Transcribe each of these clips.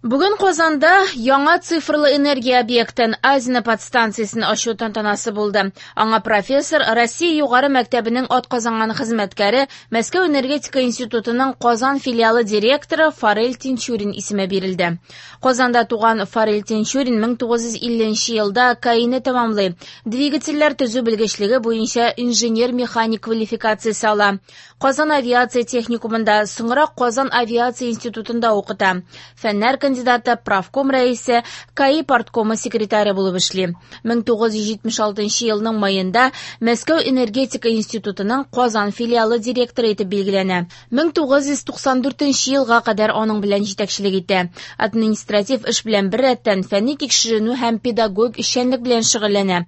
Бүген Казанда яңа цифрлы энергия объектын Азино подстанциясен ачу тантанасы булды. Аңа профессор, Россия югары мәктәбенең атказанган хезмәткәре, Мәскәү энергетика институтының Казан филиалы директоры Фарель Тинчурин исеме бирелде. Казанда туган Фарель Тинчурин 1950 елда КАИны тәмамлый. Двигательләр төзү белгечлеге буенча инженер-механик квалификациясе ала. Казан авиация техникумында, соңрак Казан авиация институтында укыта. Фәннәр кандидаты, профком рәисе, КАИ парткомы секретаре булып эшли. 1976 елның маенда Мәскәү энергетика институтының Казан филиалы директоры итеп билгеләнә. 1994 елга кадәр аның белән җитәкчелек итә. Административ эш белән беррәттән фәнни тикшеренү һәм педагогик эшчәнлек белән шөгыльләнә.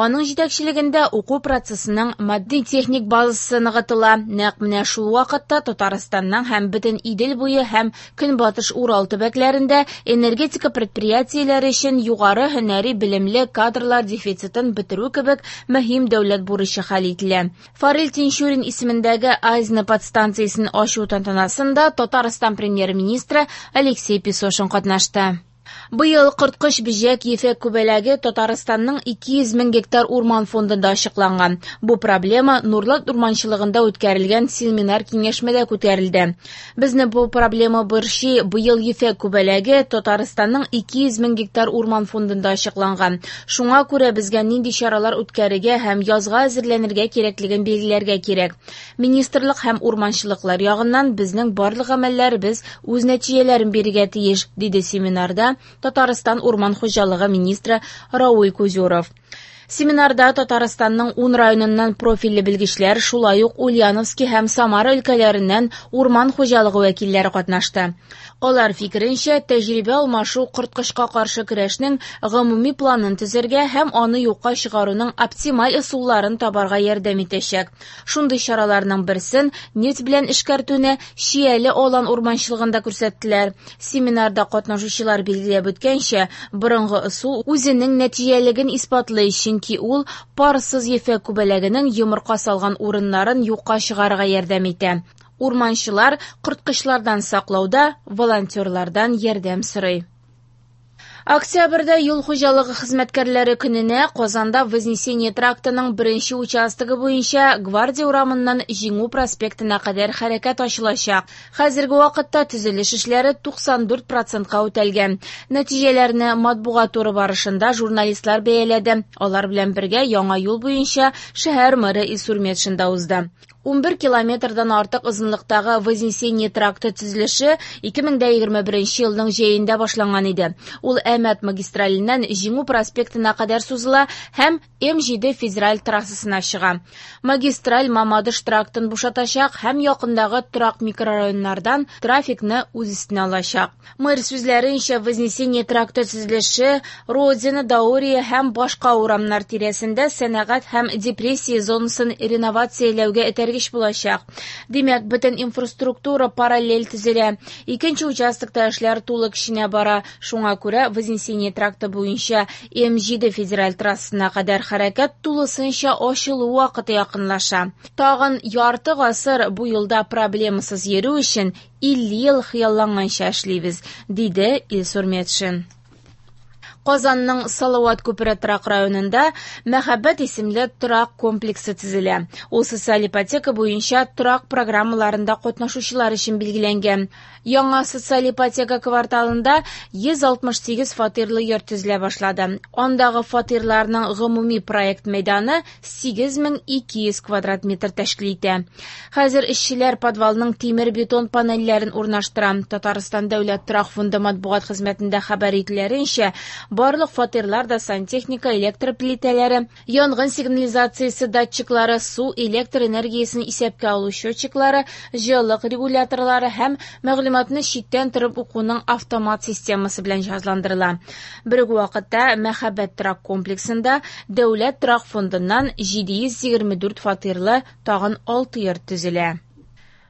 Аның җитәкчелегендә уку процессының матди-техник базасы ныгытыла. Нәкъ менә шул вакытта Татарстанның һәм бөтен Идел буе һәм Көнбатыш Урал төбәкләрендә энергетика предприятиеләре өчен югары һөнәри белемле кадрлар дефицитын бетерү кебек мөһим дәүләт бурычы хәл ителә. Фарель Тинчурин исемендәге Азино подстанциясен ачу тантанасында Татарстан премьер-министры Алексей Песошин катнашты. Быел корткыч бөҗәк ефәк күбәләге Татарстанның 200 мең гектар урман фондында ачыкланган. Бу проблема Нурлат урманчылыгында үткәрелгән семинар-киңәшмәдә күтәрелде. Безне бу проблема борчый. Быел ефәк күбәләге Татарстанның 200 мең гектар урман фондында ачыкланган. Шуңа күрә безгә нинди чаралар үткәрергә һәм язга әзерләнергә кирәклеген билгеләргә кирәк. Министрлык һәм урманчылыклар ягыннан безнең барлык гамәлләребез үз нәтиҗәләрен бирергә тиеш, диде семинарда Татарстан урман хуҗалыгы министры Рауль Кузюров. Семинарда Татарстанның 10 районыннан профильле белгечләр, шулай ук Ульяновский һәм Самара өлкәләреннән урман хуҗалыгы вәкилләре катнашты. Алар фикеренчә, тәҗрибә алмашу корткычка каршы көрәшнең гомуми планын төзергә һәм аны юкка чыгаруның оптималь ысулларын табарга ярдәм итәчәк. Шундый чараларның берсен нефть белән эшкәртүне Чияле алан урманчылыгында күрсәттеләр. Семинарда катнашучылар билгеләп үткәнчә, борынгы ысул үзенең нәтиҗәлелеген исбатлый, чөнки ул парсыз ефәк күбәләгенең йомырка салган урыннарын юкка чыгарырга ярдәм итә. Урманчылар корткычлардан саклауда волонтерлардан ярдәм сорый. Октябрьдә юл хуҗалыгы хезмәткәрләре көненә Казанда Вознесение трактының беренче участогы буенча Гвардия урамыннан Җиңү проспектына кадәр хәрәкәт ачылачак. Хәзерге вакытта төзелеш эшләре 94 процентка үтәлгән. Нәтиҗәләрне матбугат туры барышында журналистлар бәяләде. Алар белән бергә яңа юл буенча шәһәр мэры Илсур Метшин да узды. 11 километрдан артык озынлыктагы Вознесение тракты төзелеше 2021 елның җәендә башланган иде. Ул Әмәт магистраленнән Җиңү проспектына кадәр сузыла һәм М7 федераль трассасына чыга. Магистраль Мамадыш трактын бушатачак һәм якындагы торак микрорайоннардан трафикны үз өстенә алачак. Мэр сүзләренчә, Вознесение тракты төзелеше Родина, Даурия һәм башка урамнар тирәсендә сәнәгать һәм депрессия зонасын реновацияләүгә этәргеч булачак. Димәк, бөтен инфраструктура параллель төзелә. Икенче участокта эшләр тулы көченә бара. Шуңа күрә Вознесение тракты буенча М7 федераль трассасына кадәр хәрәкәт тулысынча ачылу вакыты якынлаша. Тагын ярты гасыр бу юлда проблемасыз йөрү өчен 50 ел хыялланганча эшлибез, диде Илсур Метшин. Казанның Салават күпере торак районында Мәхәббәт исемле торак комплексы төзелә. Ул социаль ипотека буенча торак программаларында катнашучылар өчен билгеләнгән. Яңа социаль ипотека кварталында 168 фатирлы йорт төзелә башлады. Андагы фатирларның гомуми проект мәйданы 8200 квадрат метр тәшкил итә. Хәзер эшчеләр подвалның тимер-бетон панельләрен урнаштыра. Татарстан дәүләт торак фонды матбугат хезмәтендә хәбәр итүләренчә, барлык фатирлар да сантехника, электр плитәләре, янгын сигнализациясе датчиклары, су, электр энергиясен исәпкә алу счетчиклары, җылылык регуляторлары һәм мәгълүматны читтән торып укуның автомат системасы белән җиһазландырыла. Бер үк вакытта Мәхәббәт торак комплексында дәүләт торак фондыннан 724 фатирлы тагын 6 йорт төзелә.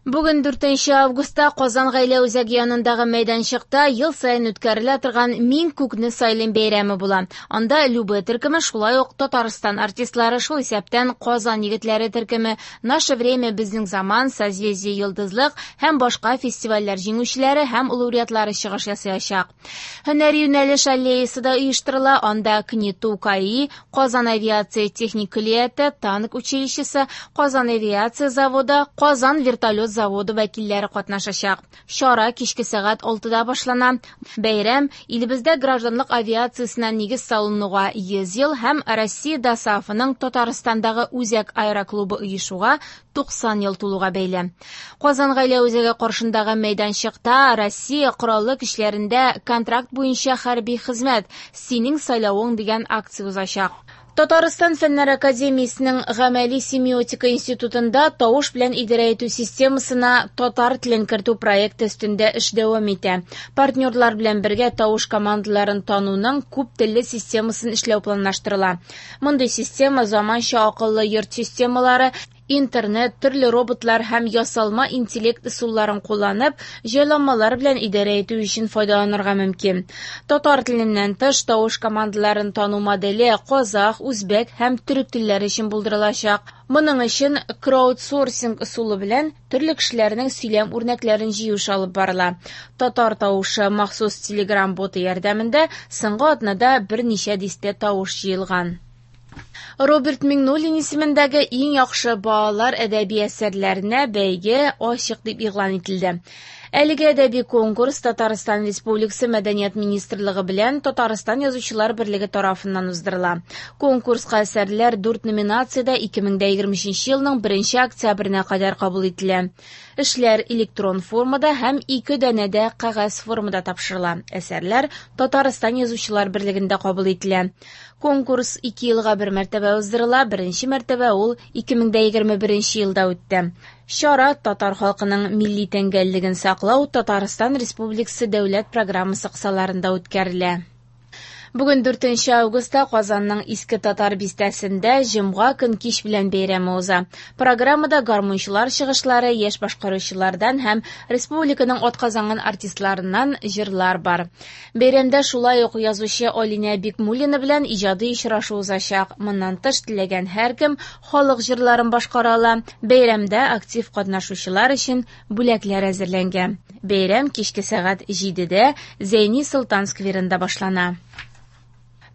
Бүген 4 августта Казан гаилә үзәге янындагы мәйданчыкта ел саен үткәрелә торган «Мин күкне сайлыйм» бәйрәме була. Анда Любэ төркеме, шулай ук Татарстан артистлары, шул исәптән Казан егетләре төркеме, «Наше время», «Безнең заман», «Созвездие Йолдызлык» һәм башка фестивальләр җиңүчеләре һәм лауреатлары чыгыш ясаячак. Һөнәри юнәлеш аллеясы да оештырыла. Анда КНИТУ КАИ, Казан авиация техник көллияте, танк училищесы, Казан авиация заводы, Казан вертолет заводы вәкилләре катнашачак. Чара кичке сәгать 6-да башлана. Бәйрәм илебездә гражданлык авиациясенә нигез салынуга 100 ел һәм Россия ДОСААФының Татарстандагы үзәк аэроклубы оешуга 90 ел тулуга бәйле. Казан гаилә үзәге каршындагы мәйданчыкта Россия Кораллы көчләрендә контракт буенча хәрби хезмәт «Синең сайлавың» дигән акция узачак. Татарстан Фәннәр академиясенең Гамәли семиотика институтында тавыш белән идарә итү системасына татар телен кертү проекты өстендә эш дәвам итә. Партнерлар белән бергә тавыш командаларын тануның күп телле системасын эшләү планлаштырыла. Мондый система заманча акыллы йорт системалары, интернет, төрле роботлар һәм ясалма интеллект ысулларын кулланып, җайланмалар белән идарә итү өчен файдаланырга мөмкин. Татар теленнән тыш, тавыш командаларын тану моделе казах, үзбәк һәм төрек телләре өчен булдырылачак. Моның өчен краудсорсинг ысулы белән төрле кешеләрнең сөйләм үрнәкләрен җыю эше алып барыла. Татар тавышы махсус Telegram боты ярдәмендә соңгы атнада берничә дистә тавыш җыелган. Роберт Миңнуллин исемендәге иң яхшы балалар әдәби әсәрләренә бәйге ачык дип игълан ителде. Әлеге әдәби конкурс Татарстан Республикасы Мәдәният министрлыгы белән Татарстан Язучылар берлеге тарафыннан уздырыла. Конкурска әсәрләр 4 номинациядә 2023 елның 1 октябренә кадәр кабул ителә. Эшләр электрон формада һәм 2 данәдә кәгазь формада тапшырыла. Әсәрләр Татарстан Язучылар берлегендә кабул ителә. Конкурс 2 елга бер мәртәбә уздырыла, беренче мәртәбә ул 2021 елда үтте. Чара татар халкының милли тәңгәллеген саклау Татарстан Республикасы дәүләт программасы кысаларында үткәрелә. Бүген 4 августта Казанның Иске Татар бистәсендә җомга көн кич белән бәйрәме уза. Программада гармунчылар чыгышлары, яшь башкаручылардан һәм республиканың атказанган артистларыннан җырлар бар. Бәйрәмдә шулай ук язучы Алинә Бикмуллина белән иҗади очрашу узачак. Моннан тыш теләгән һәркем халык җырларын башкара ала. Бәйрәмдә актив катнашучылар өчен бүләкләр әзерләнгән. Бәйрәм кичке сәгать 7-дә Зәйни Солтан скверында башлана.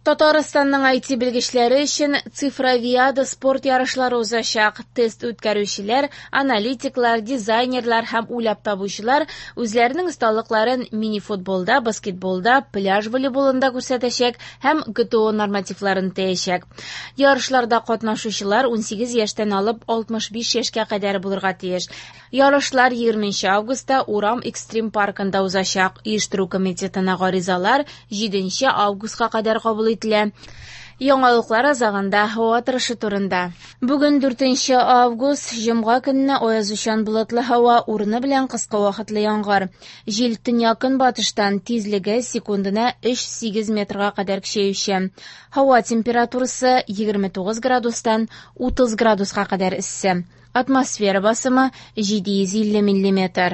Татарстанның IT белгечләре өчен Цифровиада спорт ярышлары узачак. Тест үткәрүчеләр, аналитиклар, дизайнерлар һәм уйлап табучылар үзләренең осталыкларын мини-футболда, баскетболда, пляж волейболында күрсәтәчәк һәм ГТО нормативларын үтәячәк. Ярышларда катнашучылар 18 яшьтән алып 65 яшькә кадәр булырга тиеш. Ярышлар 20 августта Урам экстрим паркында узачак. Оештыру комитетына гаризалар 7 августка кадәр кабул ителә. Яңалыклар азагында һава торышы турында. Бүген 4 август, җомга көнне аязучан болытлы һава, урыны белән кыска вакытлы яңгыр. Җил төньяк-көнбатыштан, тизлеге секундына 3,8 метрга кадәр көчәюче. Һава температурасы 29 градустан 30 градуска кадәр эссе. Атмосфера басымы 750 миллиметр.